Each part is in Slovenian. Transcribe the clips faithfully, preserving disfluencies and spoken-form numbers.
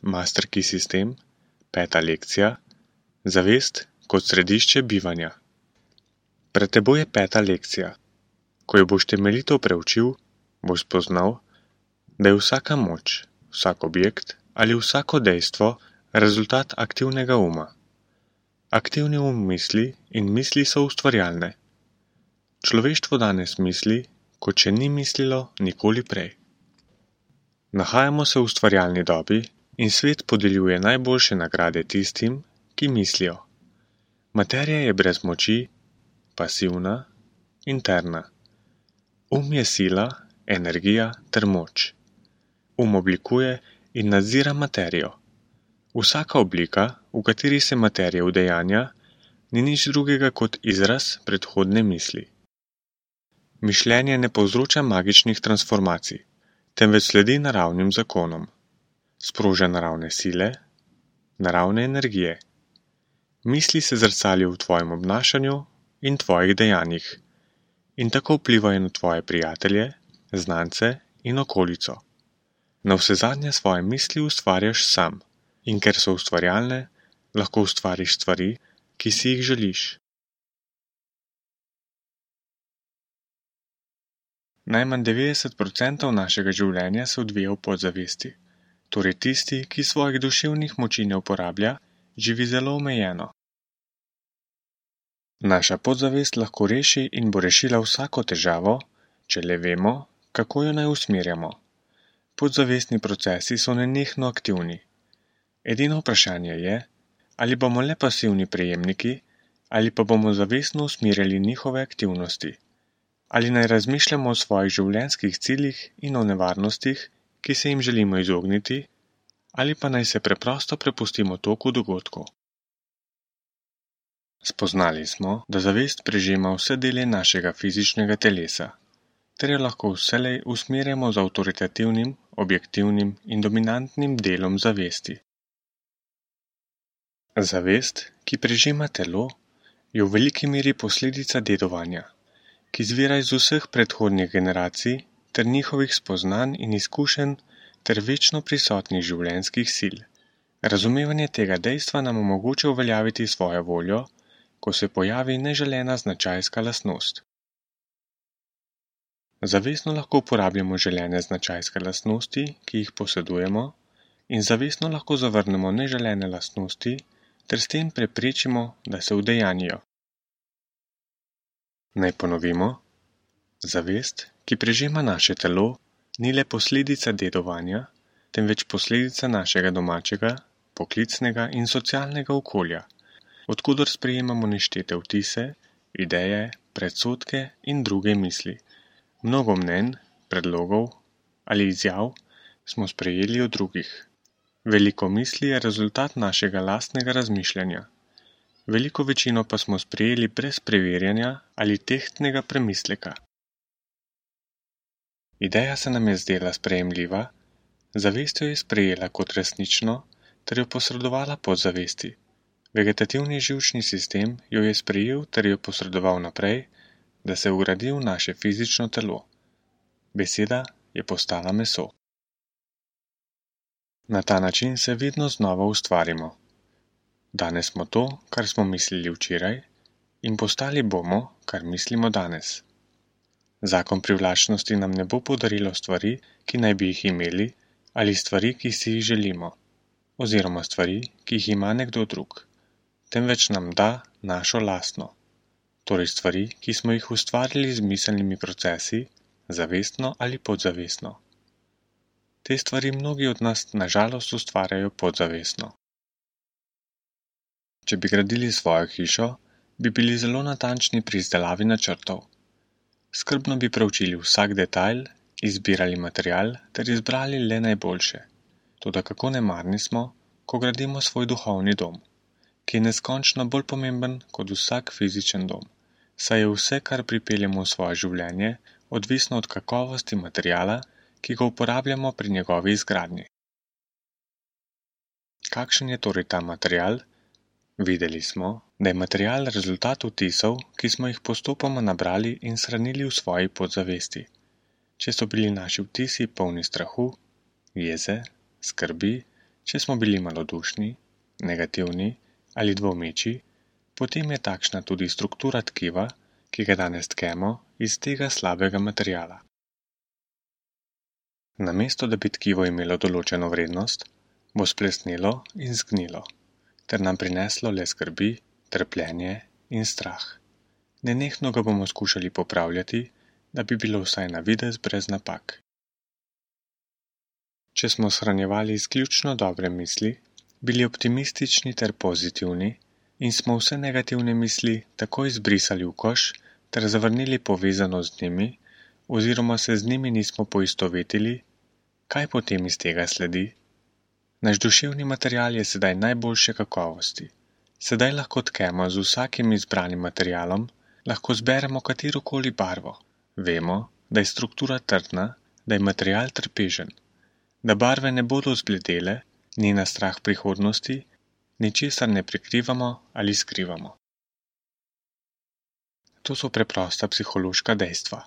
Master Key sistem, peta lekcija, zavest kot središče bivanja. Pred teboj je peta lekcija. Ko jo boš temeljito preučil, boš spoznal, da je vsaka moč, vsak objekt ali vsako dejstvo rezultat aktivnega uma. Aktivni um misli in misli so ustvarjalne. Človeštvo danes misli, kot še ni mislilo nikoli prej. Nahajamo se v ustvarjalni dobi in svet podeljuje najboljše nagrade tistim, ki mislijo. Materija je brez moči, pasivna, interna. Um je sila, energija ter moč. Um oblikuje in nadzira materijo. Vsaka oblika, v kateri se materija udejanja, ni nič drugega kot izraz predhodne misli. Mišljenje ne povzroča magičnih transformacij, temveč sledi naravnim zakonom. Sproža naravne sile, naravne energije. Misli se zrcalijo v tvojem obnašanju in tvojih dejanjih in tako vplivajo na tvoje prijatelje, znance in okolico. Navsezadnje svoje misli ustvarjaš sam in ker so ustvarjalne, lahko ustvariš stvari, ki si jih želiš. Najmanj devetdeset procentov našega življenja se odvija v podzavesti, torej tisti, ki svojih duševnih moči ne uporablja, živi zelo omejeno. Naša podzavest lahko reši in bo rešila vsako težavo, če le vemo, kako jo naj usmerjamo. Podzavestni procesi so nenehno aktivni. Edino vprašanje je, ali bomo le pasivni prejemniki, ali pa bomo zavestno usmerjali njihove aktivnosti. Ali naj razmišljamo o svojih življenjskih ciljih in o nevarnostih, ki se jim želimo izogniti, ali pa naj se preprosto prepustimo toku dogodkov. Spoznali smo, da zavest prežema vse dele našega fizičnega telesa, ter jo lahko vselej usmerjamo z avtoritativnim, objektivnim in dominantnim delom zavesti. Zavest, ki prežema telo, je v veliki meri posledica dedovanja, ki izvira iz vseh predhodnih generacij ter njihovih spoznanj in izkušenj ter večno prisotnih življenjskih sil. Razumevanje tega dejstva nam omogoča uveljaviti svojo voljo, ko se pojavi neželena značajska lastnost. Zavestno lahko uporabljamo želene značajske lastnosti, ki jih posedujemo, in zavestno lahko zavrnemo neželene lastnosti ter s tem preprečimo, da se udejanjijo. Naj ponovimo, zavest, ki prežema naše telo, ni le posledica dedovanja, temveč posledica našega domačega, poklicnega in socialnega okolja, odkudar sprejemamo neštete vtise, ideje, predsodke in druge misli. Mnogo mnenj, predlogov ali izjav smo sprejeli od drugih. Veliko misli je rezultat našega lastnega razmišljanja. Veliko večino pa smo sprejeli brez preverjanja ali tehtnega premisleka. Ideja se nam je zdela sprejemljiva, zavest jo je sprejela kot resnično ter jo posredovala podzavesti. Vegetativni živčni sistem jo je sprejel ter jo posredoval naprej, da se vgradi v naše fizično telo. Beseda je postala meso. Na ta način se vedno znova ustvarimo. Danes smo to, kar smo mislili včeraj, in postali bomo, kar mislimo danes. Zakon privlačnosti nam ne bo podarilo stvari, ki naj bi jih imeli, ali stvari, ki si jih želimo, oziroma stvari, ki jih ima nekdo drug, temveč nam da našo lastno, torej stvari, ki smo jih ustvarili z miselnimi procesi, zavestno ali podzavestno. Te stvari mnogi od nas na žalost ustvarjajo podzavestno. Če bi gradili svojo hišo, bi bili zelo natančni pri izdelavi načrtov. Skrbno bi preučili vsak detajl, izbirali material ter izbrali le najboljše. Toda kako nemarni smo, ko gradimo svoj duhovni dom, ki je neskončno bolj pomemben kot vsak fizičen dom, saj je vse, kar pripeljemo v svoje življenje, odvisno od kakovosti materiala, ki ga uporabljamo pri njegovi izgradnji. Kakšen je torej ta material? Videli smo, da je material rezultat vtisov, ki smo jih postopoma nabrali in shranili v svoji podzavesti. Če so bili naši vtisi polni strahu, jeze, skrbi, Če smo bili malodušni, negativni ali dvomeči, potem je takšna tudi struktura tkiva, ki ga danes tkemo iz tega slabega materiala. Namesto da bi tkivo imelo določeno vrednost, bo splesnilo in zgnilo, ter nam prineslo le skrbi, trpljenje in strah. Nenehno ga bomo skušali popravljati, da bi bilo vsaj na videz brez napak. Če smo shranjevali izključno dobre misli, bili optimistični ter pozitivni in smo vse negativne misli takoj izbrisali v koš ter zavrnili povezano z njimi oziroma se z njimi nismo poistovetili, kaj potem iz tega sledi? Naš duševni material je sedaj najboljše kakovosti. Sedaj lahko tkemo z vsakim izbranim materialom, lahko zberemo katerokoli barvo. Vemo, da je struktura trdna, da je material trpežen, da barve ne bodo zbledele, ni na strah prihodnosti, ničesar ne prikrivamo ali skrivamo. To so preprosta psihološka dejstva.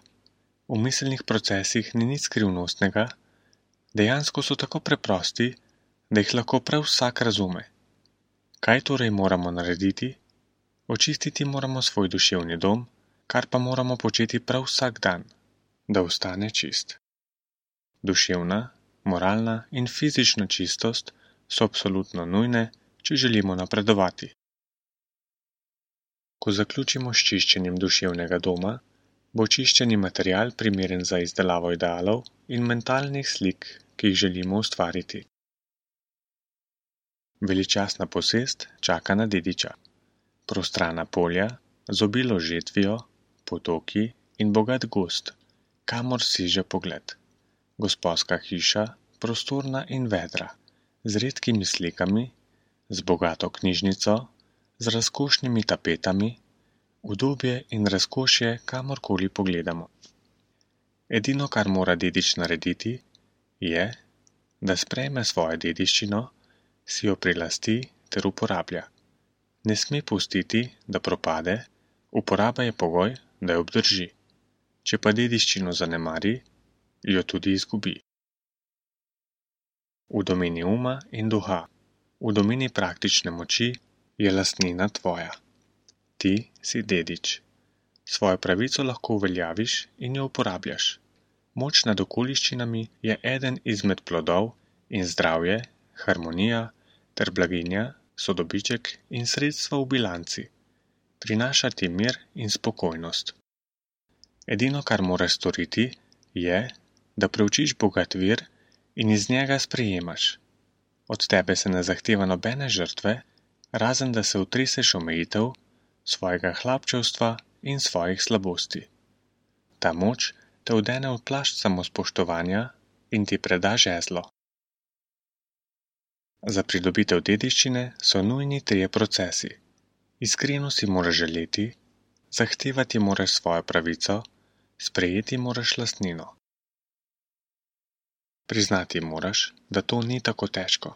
V miselnih procesih ni nič skrivnostnega, dejansko so tako preprosti, da jih lahko prav vsak razume. Kaj torej moramo narediti? Očistiti moramo svoj duševni dom, kar pa moramo početi prav vsak dan, da ostane čist. Duševna, moralna in fizična čistost so absolutno nujne, če želimo napredovati. Ko zaključimo s čiščenjem duševnega doma, bo čiščeni material primeren za izdelavo idealov in mentalnih slik, ki jih želimo ustvariti. Veličastna posest čaka na dediča. Prostrana polja, z obilo žetvijo, potoki in bogat gozd, kamor siže pogled. Gosposka hiša, prostorna in vedra, z redkimi slikami, z bogato knjižnico, z razkošnimi tapetami, udobje in razkošje kamorkoli pogledamo. Edino, kar mora dedič narediti, je, da sprejme svojo dediščino, si jo prilasti ter uporablja. Ne sme pustiti, da propade, uporaba je pogoj, da jo obdrži. Če pa dediščino zanemari, jo tudi izgubi. V domeni uma in duha, v domeni praktične moči je lastnina tvoja. Ti si dedič. Svojo pravico lahko uveljaviš in jo uporabljaš. Moč nad okoliščinami je eden izmed plodov in zdravje, harmonija ter blaginja so dobiček in sredstva v bilanci. Prinaša ti mir in spokojnost. Edino, kar moraš storiti, je, da preučiš bogat vir in iz njega sprejemaš. Od tebe se ne zahteva nobene žrtve, razen da se utreseš omejitev, svojega hlapčevstva in svojih slabosti. Ta moč te odene v plašč samospoštovanja in ti preda žezlo. Za pridobitev dediščine so nujni trije procesi. Iskreno si moraš želeti, zahtevati moraš svojo pravico, sprejeti moraš lastnino. Priznati moraš, da to ni tako težko.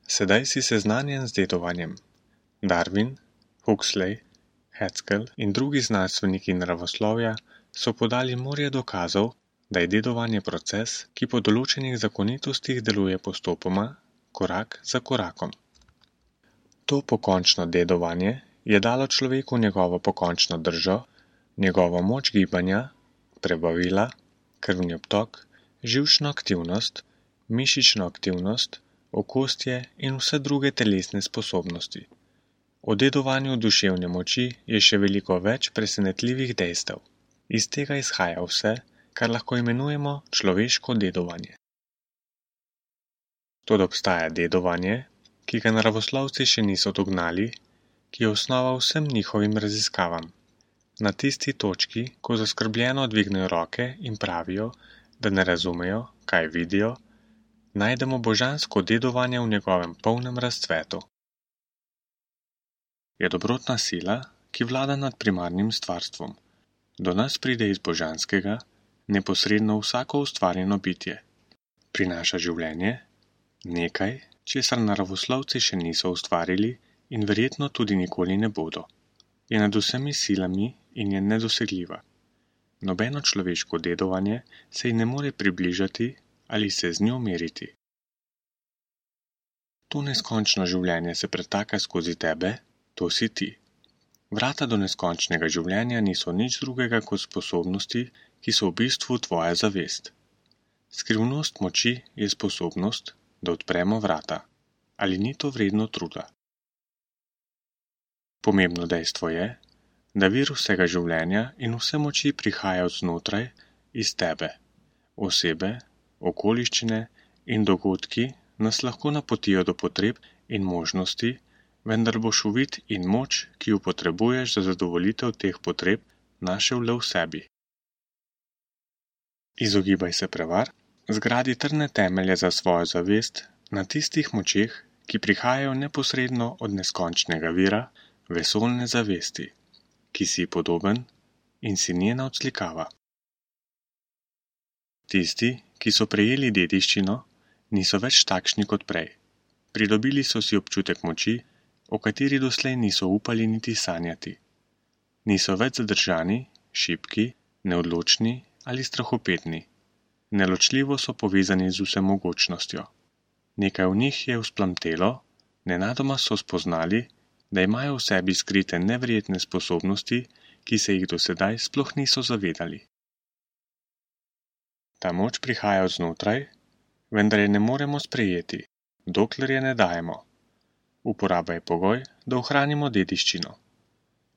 Sedaj si seznanjen z dedovanjem. Darwin, Huxley, Haskell in drugi znanstveniki naravoslovja so podali morje dokazov, da je dedovanje proces, ki po določenih zakonitostih deluje postopoma, korak za korakom. To pokončno dedovanje je dalo človeku njegovo pokončno držo, njegovo moč gibanja, prebavila, krvni obtok, živčno aktivnost, mišično aktivnost, okostje in vse druge telesne sposobnosti. O dedovanju duševne moči je še veliko več presenetljivih dejstev. Iz tega izhaja vse, kar lahko imenujemo človeško dedovanje. Toda obstaja dedovanje, ki ga naravoslovci še niso dognali, ki je osnova vsem njihovim raziskavam. Na tisti točki, ko zaskrbljeno dvignejo roke in pravijo, da ne razumejo, kaj vidijo, najdemo božansko dedovanje v njegovem polnem razcvetu. Je dobrotna sila, ki vlada nad primarnim stvarstvom. Do nas pride iz božanskega, neposredno vsako ustvarjeno bitje. Prinaša življenje, nekaj, česar naravoslovci še niso ustvarili in verjetno tudi nikoli ne bodo. Je nad vsemi silami in je nedosegljiva. Nobeno človeško dedovanje se ji ne more približati ali se z njo meriti. To neskončno življenje se pretaka skozi tebe, to si ti. Vrata do neskončnega življenja niso nič drugega kot sposobnosti, ki so v bistvu tvoja zavest. Skrivnost moči je sposobnost, da odpremo vrata. Ali ni to vredno truda? Pomembno dejstvo je, da vir vsega življenja in vse moči prihaja od znotraj, iz tebe. Osebe, okoliščine in dogodki nas lahko napotijo do potreb in možnosti, vendar boš uvid in moč, ki jo potrebuješ za zadovoljitev teh potreb, našel le v sebi. Izogibaj se prevar, zgradi trdne temelje za svojo zavest na tistih močeh, ki prihajajo neposredno od neskončnega vira, vesoljne zavesti, ki si podoben in si njena odslikava. Tisti, ki so prejeli dediščino, niso več takšni kot prej. Pridobili so si občutek moči, o kateri doslej niso upali niti sanjati. Niso več zadržani, šibki, neodločni ali strahopetni. Neločljivo so povezani z vsemogočnostjo. Nekaj v njih je vzplamtelo, nenadoma so spoznali, da imajo v sebi skrite neverjetne sposobnosti, ki se jih do sedaj sploh niso zavedali. Ta moč prihaja od znotraj, vendar je ne moremo sprejeti, dokler je ne dajemo. Uporaba je pogoj, da ohranimo dediščino.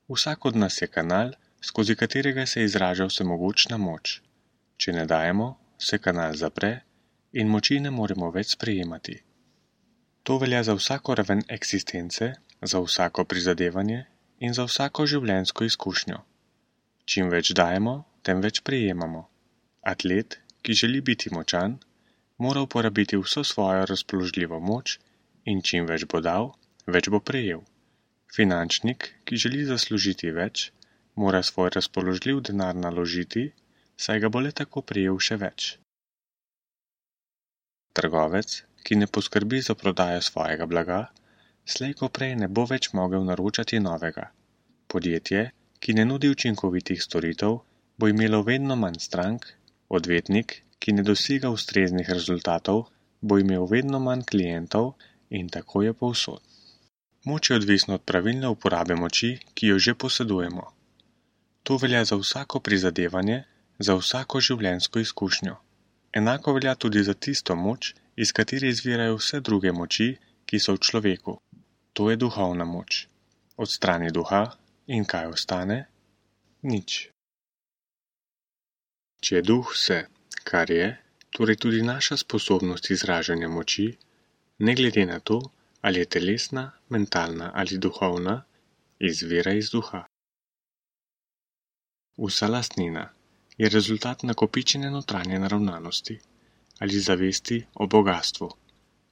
Vsak od nas je kanal, skozi katerega se izraža vsemogočna moč. Če ne dajemo, se kanal zapre in moči ne moremo več sprejemati. To velja za vsako raven eksistence, za vsako prizadevanje in za vsako življenjsko izkušnjo. Čim več dajemo, tem več prejemamo. Atlet, ki želi biti močan, mora uporabiti vso svojo razpoložljivo moč in čim več bo dal, več bo prejel. Finančnik, ki želi zaslužiti več, mora svoj razpoložljiv denar naložiti, saj ga bo le tako prejel še več. Trgovec, ki ne poskrbi za prodajo svojega blaga, slej ko prej ne bo več mogel naročati novega. Podjetje, ki ne nudi učinkovitih storitev, bo imelo vedno manj strank, odvetnik, ki ne dosega ustreznih rezultatov, bo imel vedno manj klientov in tako je povsod. Moč je odvisna od pravilne uporabe moči, ki jo že posedujemo. To velja za vsako prizadevanje, za vsako življenjsko izkušnjo. Enako velja tudi za tisto moč, iz katere izvirajo vse druge moči, ki so v človeku. To je duhovna moč. Odstrani duha in kaj ostane? Nič. Če je duh vse, kar je, torej tudi naša sposobnost izražanja moči, ne glede na to, ali je telesna, mentalna ali duhovna, izvira iz duha. Vsa lastnina je rezultat nakopičene notranje naravnanosti ali zavesti o bogastvu.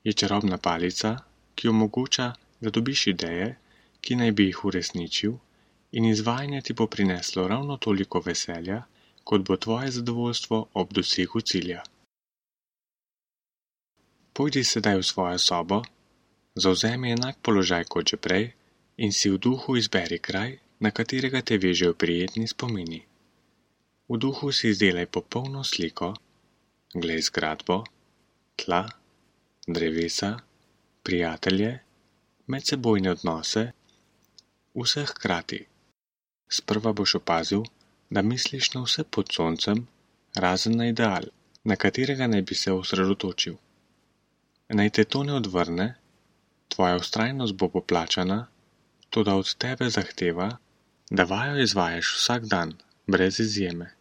Je čarobna palica, ki omogoča, da dobiš ideje, ki naj bi jih uresničil, in izvajanje ti bo prineslo ravno toliko veselja, kot bo tvoje zadovoljstvo ob dosegu cilja. Pojdi sedaj v svojo sobo, zavzemi enak položaj kot že prej in si v duhu izberi kraj, na katerega te vežejo prijetni spomini. V duhu si izdelaj popolno sliko, glej zgradbo, tla, drevesa, prijatelje, medsebojne odnose, vse hkrati. Sprva boš opazil, da misliš na vse pod soncem, razen na ideal, na katerega naj bi se osredotočil. Naj te to ne odvrne, tvoja vztrajnost bo poplačana, toda od tebe zahteva, da vajo izvajaš vsak dan, brez izjeme.